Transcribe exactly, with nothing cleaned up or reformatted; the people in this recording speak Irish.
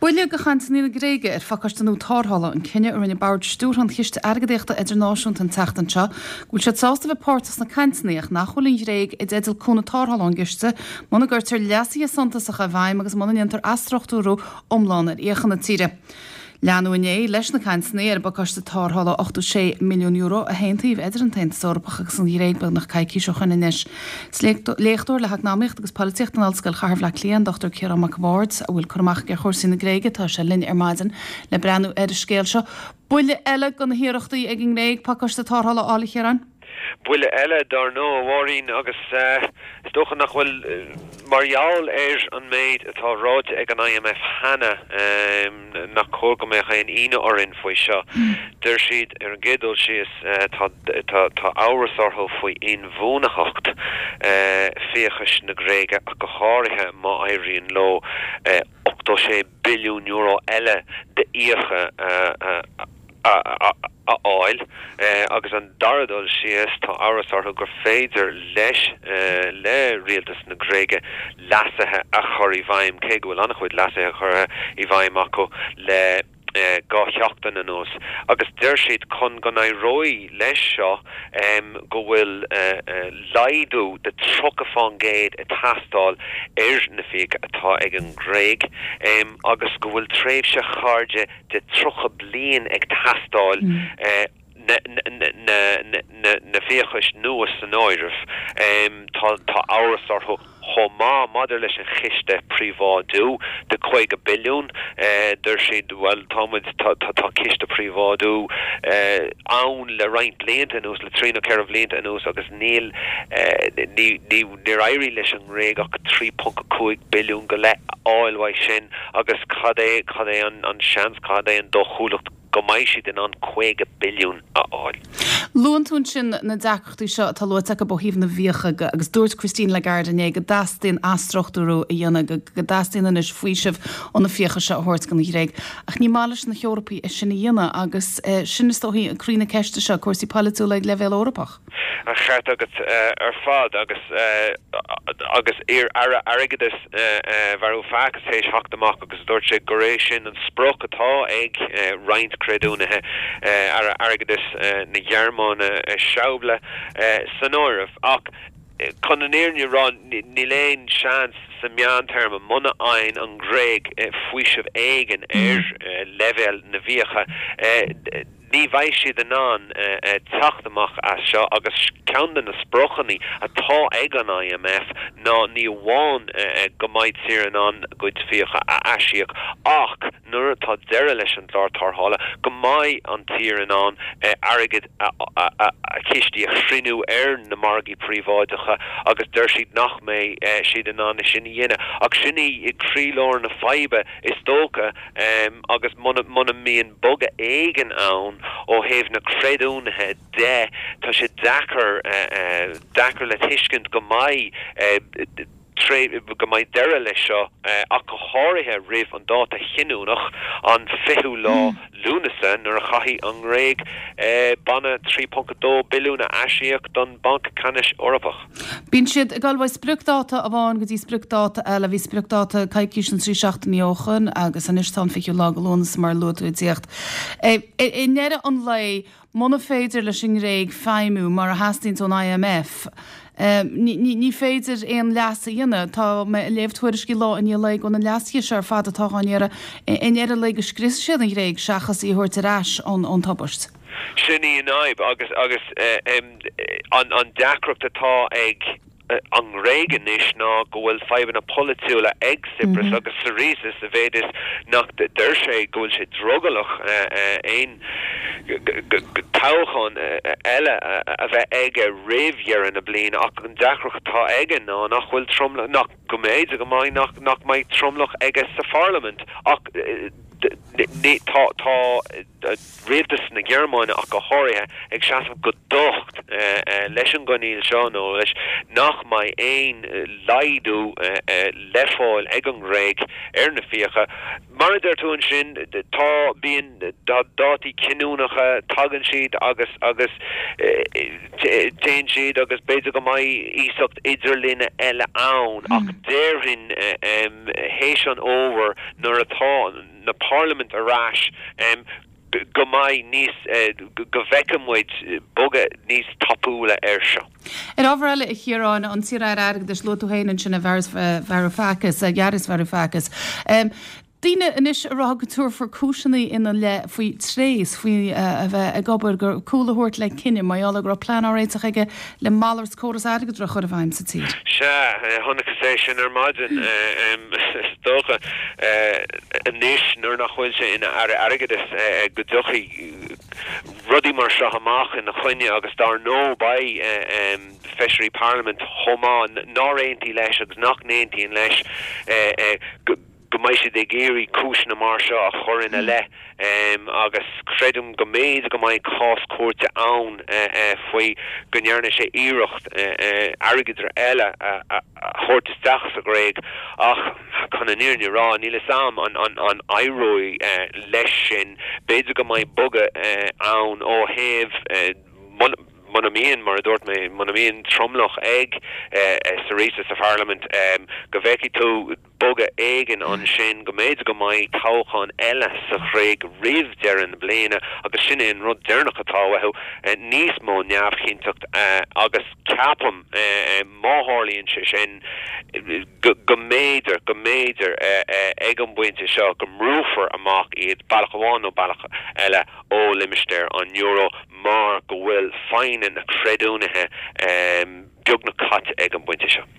Buille do chainteanna na Gréige ar phacáiste nua tarrthála an cinneadh a rinne Bord Stiúrtha an Chiste Airgeadaíochta Idirnáisiúnta an tseachtain seo, go bhfuil siad sásta bheith páirteach sna cainteanna ach nach bhfuil an Ghréig i dteideal cúnamh tarrthála ón gciste muna gcuirtear leasuithe suntasacha i bhfeidhm agus muna ndéantar athstruchtúrú iomlán ar fhiacha na tíre. Leanadh inné leis na cainteanna ar an bpacáiste tarrthála ochtó sé milliún euro a haontaíodh idir an tAontas Eorpach agus an Ghréig beagnach coicís ó shin anois. Léachtóir le heacnamaíocht agus polaitíocht in Ollscoil Chathair Bhaile Átha Cliath, an Dochtúir Ciarán Mac Bhaird, a bhfuil cur amach aige ar chúrsaí na Gréige, tá sé linn ar maidin le breathnú ar an scéal seo. Buille eile do na hiarrachtaí ag an nGréig pacáiste tarrthála a fháil, a Chiaráin? Buille eile dar ndóigh, a Mháirín, agus is dócha nach bhfuil mar gheall ar an méid atá ráite ag an I M F cheana nach cóir go mbeadh aon ionadh orainn faoi seo. Deir siad ar an gcéad dul síos tá tá amhras orthu faoi inbhuanaitheacht fiachais na Gréige, ach go háirithe má éiríonn leo ochtó sé billiún euro eile d'fhiacha a fháil. Agus an dara dul síos, tá amhras orthu gur féidir leis le rialtas na Gréige leasuithe a chur i bhfeidhm, cé go bhfuil an-chuid leasuithe curtha i bhfeidhm acu le dhá sheachtain anuas. Agus deir siad chun go n-éireoidh leis seo go bhfuil laghdú de tríocha faoin gcéad ag teastáil ar na fiacha atá ag an nGréig agus go bhfuil tréimhse chairde de tríocha bliain ag teastáil, na fiachais nua san áireamh. Tá tá amhras orthu chomh maith maidir leis an chiste príobháidiú de caoga billiún. Deir siad, bhuel, tá muid tá tá ciste príobháidiú ann le roinnt blianta anuas, le trí nó ceithre bhlianta anuas, agus níl ní ní níor éirigh leis an nGréig ach trí ponc a cúig billiún go leith a fháil uaidh sin, agus cad é cad é an an seans, cad é an dóchúlacht go mbeidh siad in ann caoga billiún a fháil? Luann tú ansin na deacrachtaí seo atá luaite acu ó thaobh na bhfiacha, agus dúirt Christine Lagarde inné go dteastaíonn athstruchtúrú a dhéanamh, go dteastaíonn anois faoiseamh ó na fiacha seo a thabhairt don Ghréig. Ach ní maith leis na hEorpaigh é sin a dhéanamh, agus sin is dóichí an croí na ceiste seo, cúrsaí polaitiúla ag leibhéal Eorpach. An ceart agat ar fad, agus agus iar-aire airgeadais Varoufakis théis theacht amach agus dúirt sé gur é sin an sprioc atá ag roinnt creidiúnaithe, aire airgeadais na Gearmáine Schäuble san áireamh. Ach chun an fhírinne a rá, níl aon seans sa meántéarma muna bhfaigheann an Ghréig faoiseamh éigin ar leibhéal na bhfiacha. Ní bheidh siad in ann teacht amach as seo, agus ceann de na spriocanna atá ag an I M F ná ní amháin go mbeidh tír in ann a gcuid fiacha a aisíoc, ach nuair atá deireadh leis an gclár tarrthála go mbeidh an tír in ann airgead a chistí a chruinniú ar na margaí príobháideacha, agus deir siad nach mbeidh siad in ann sin a dhéanamh. Ach sin í i gcroílár na faidhbe, is dócha, agus muna muna mbíonn bogadh éigin ann ó thaobh na creidiúnaithe de, tá sé deacair deacair le tuiscint go mbeidh go mbeidh deireadh leis seo, ach go háirithe roimh an dáta chinniúnach, an fichiú lá Lúnasa, nuair a chaithfidh an Ghréig banna trí ponc a dó billiún a aisíoc don Banc Ceannais Eorpach. Bíonn siad ag dul ó spriocdháta amháin go dtí spriocdháta eile. Bhí spriocdháta coicís nó trí seachtainí ó shin agus anois tá an fichiú lá de Lúnasa, mar a luaigh tú, ag tíocht. I ndeireadh an lae, muna féidir leis an nGréig feidhmiú mar a theastaíonn ón I M F, ní féidir aon leas a dhéanamh. Tá mé ag léamh tuairiscí lá i ndiaidh lae go na leasuithe seo ar fad atá á n-iarraidh, i ndeireadh an lae go scriosfaidh siad an Ghréig seachas í a thabhairt ar ais ón tubaist. Sin í an fhadhb, agus agus an an deacracht atá ag an nGréig anois ná go bhfuil fadhbanna polaitiúla ag Tsipras agus Syriza, sa mhéid is nach deir sé go bhfuil sé drogallach aon toghchán eile a bheith aige roimh dheireadh na bliana. Ach an deacracht atá aige ná nach bhfuil tromlach, nach go mb'fhéidir go mbeidh nach nach mbeidh tromlach aige sa pharlaimint. Ach tá tá rialtas na Gearmáine ach go háirithe ag seasamh go docht leis an gcoinníoll seo, nó leis nach mbeidh aon laghdú le fáil ag an nGréig ar na fiacha. Mar a deir tú ansin, tá bíonn dátaí cinniúnacha, tagann siad agus agus téann siad, agus b'fhéidir go mbeidh iasacht idirlinne eile ann, ach déarfainn théis an fhómhair, nuair atá na parlaiminte ar ais go mbeidh níos go bhfeicfidh muid bogadh níos tapúla air seo. Ar ábhar eile a Chiaráin an t-iar-aire airgeadais luaigh tú féin ansin Varoufakis, Yanis Varoufakis. Um, Daoine anois a rá go dtabharfar cúiseanna ina leith faoi tréas faoi a bheith ag obair gur cúl a thabhairt le cinneadh mar gheall go raibh plean á réiteach aige le malairt córas airgeadra a chur i bhfeidhm sa tír. Sea, chonaiceas é sin ar maidin is dócha anois nuair nach bhfuil sé ina aire airgeadais go dtiocfaidh rudaí mar seo amach ina choinne agus dar ndóigh beidh feisirí parlaiminte chomh maith nár aontaigh leis agus nach n-aontaíonn leis go go mbeidh siad ag iarraidh cúiseanna mar seo a chur ina leith agus creidim go mb'fhéidir go mbeidh cás cúirte ann faoi go ndearna sé iarracht airgeadra eile a thabhairt isteach sa Ghréig ach chun an fhírinne a rá níl a fhios agam an an an éireoidh leis sin b'fhéidir go mbeidh bogadh ann ó thaobh muna mbíonn mar a dúirt mé muna mbíonn tromlach ag Syriza sa pharlaimint go bhfeicfidh tú bogadh éigin ansin go mb'fhéidir go mbeidh toghchán eile sa Ghréig roimh deireadh na bliana agus sin é an rud deireanach atá uathu níos mó neamhchinnteacht agus ceapaim má tharlaíonn sé sin go mb'fhéidir go mb'fhéidir ag an bpointe seo go mbrúfar amach iad bealach amháin nó bealach eile ó limistéar an euro mar go bhfuil foighne na creidiúnaithe beagnach caite ag an bpointe seo.